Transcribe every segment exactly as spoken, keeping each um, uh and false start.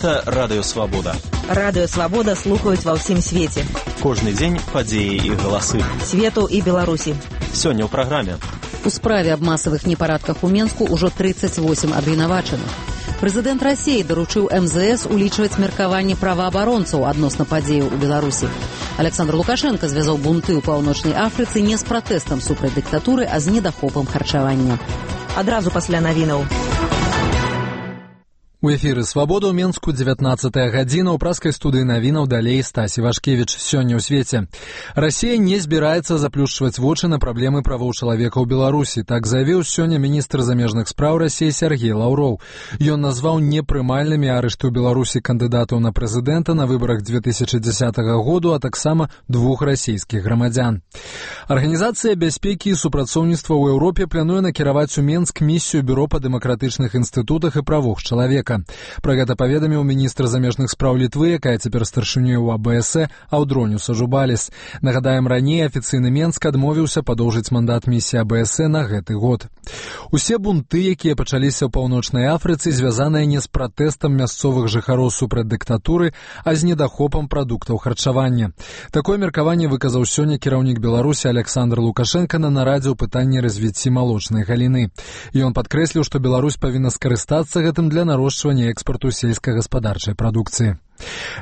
Гэта Радыё Свабода. Радыё Свабода слухаюць ва ўсім свеце. Кожны дзень падзеі і галасы. Свету і Беларусі. Сёння ў праграме. У справе аб масавых непарадках у Менску ўжо тридцать восемь абвінавачаных. Прэзідэнт Расіі даручыў эм зэ эс улічваць меркаванне праваабаронцаў адносна падзеяў у Беларусі. Александр Лукашенко звязаў бунты ў Паўночнай Афрыцы не з пратэстам супраць дыктатуры, а з недахопам харчавання. Адразу пасля навінаў. У эфіры «Свабода» ў Менску, дзевятнаццатая гадзіна, ў праскай студыі навінаў далей Стасі Вашкевіч. Сёння ў свеце. Расія не збіраецца заплюшчваць вочы на праблемы правоў чалавека ў Беларусі. Так заявіў сёння міністр замежных спраў Расіі Сергей Лаўроў. Ён назваў непрымальнымі арышты ў Беларусі кандыдатаў на прэзідэнта на выбарах две тысячи дзесятага году, а таксама двух расійскіх грамадзян. Арганізацыя бяспекі і супрацоўніцтва ў Еўропе плануе накіраваць у Менск місію Бюро па дэмакратычных інстытутах і правах чалавека. Пра гэта паведаміў міністр замежных спраў Літвы, якая цяпер старшынёй у а бэ эс э, Аўдроню Сажубаліс. Нагадаем, раней афіцыйны Менск адмовіўся падоўжыць мандат місіі а бэ эс э на гэты год. Усе бунты, якія пачаліся ў Паўночнай Афрыцы, звязаныя не з пратэстам мясцовых жыхароў супраць дыктатуры, а з недахопам прадуктаў харчавання. Такое меркаванне выказаў сёння кіраўнік Беларусі Александр Лукашенко на нарадзе ў пытанні развіцці малочнай галіны. Ён падкрэсліў, што Беларусь павінна скарыстацца гэтым для нарошчвання экспарту сельскагаспадарчай прадукцыі.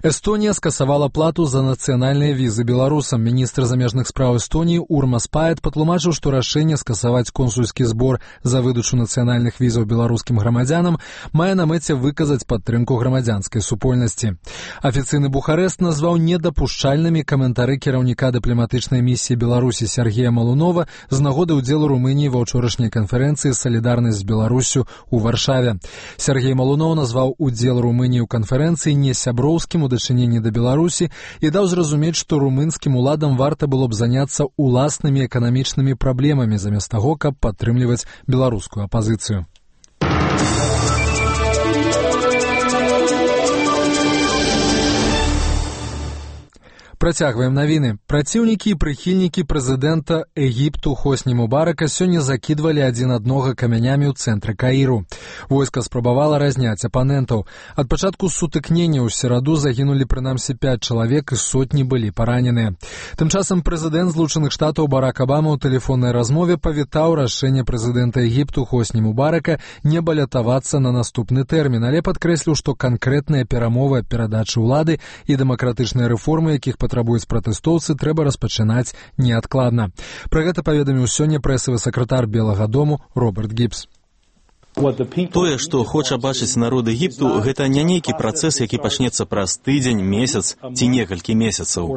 Эстонія скасавала плату за нацыянальныя візы беларусам. Міністр замежных спраў Эстоніі Урмас Паэт патлумачыў, што рашэнне скасаваць консульскі збор за выдачу нацыянальных візаў беларускім грамадзянам мае на мэце выказаць падтрымку грамадзянскай супольнасці. Афіцыйны Бухарэст назваў недапушчальнымі каментары кіраўніка дыпламатычнай місіі Беларусі Сергея Малунова з нагоды ўдзелу Румыніі ва ўчорашняй канферэнцыі «Салідарнасць з Беларусю» у Варшаве. Сергей Малунов назваў удзел Румыніі ў канферэнцыі не сяброўскім у дачыненні да Беларусі і даў зразумець, што румынскім уладам варта было б заняцца уласнымі эканамічнымі праблемамі замест таго, каб падтрымліваць беларускую апазіцыю. Працягваем навіны. Праціўнікі і прыхільнікі прэзідэнта Егіпту Хосні Мубарака сёння закідвалі адзін аднога камянямі ў цэнтры Каіру. Войска спрабавала разняць апанентаў. Ад пачатку сутыкнення ў сераду загінулі прынамсі пяць чалавек і сотні былі параненыя. Тым часам прэзідэнт Злучаных Штатаў Барак Абама ў тэлефоннай размове павітаў рашэнне прэзідэнта Егіпту Хосні Мубарака не балятавацца на наступны тэрмін, але падкрэсліў, што канкрэтныя перамовы аб перадачы ўлады і дэмакратычныя рэформы, якіх патрабуюць пратэстоўцы, трэба распачынаць неадкладна. Пра гэта паведаміў сёння прэсавы сакратар Белага дому Роберт Гібс. Тое, што хоча бачыць народ Егіпту, гэта не нейкі працэс, які пачнецца праз тыдзень, месяц ці некалькі месяцаў.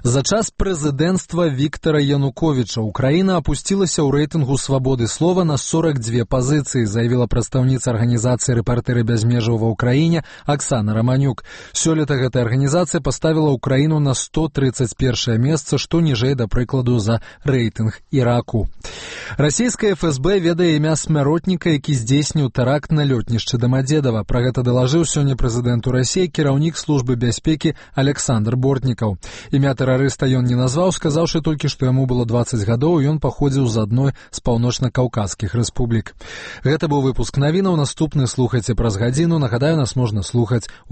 За час прэзідэнцтва Віктара Януковіча Украіна апусцілася ў рэйтынгу свабоды слова на сорок две пазіцыі, заявіла прадстаўніца арганізацыі «Рэпартэры без межаў» ва ўкраіне Аксана Раманюк. Сёлета гэтая арганізацыя паставіла Украіну на сто тридцать первое месца, што ніжэй, да прыкладу, за рэйтынг Іраку. Расійская эф эс бэ ведае імя смяротніка, які здзейсніў тэракт на лётнішчы Дамадзедава. Пра гэта далажыў сёння прэзідэнту Расіі кіраўнік службы бяспекі Александр Бортнікаў. Імя тэрарыста ён не назваў, сказаўшы толькі, што яму было дваццаць гадоў, і ён паходзіў з адной з паўночна-каўказскіх рэспублік. Гэта быў выпуск навінаў. Наступны слухайце праз гадзіну. Нагадаю, нас можна слухаць у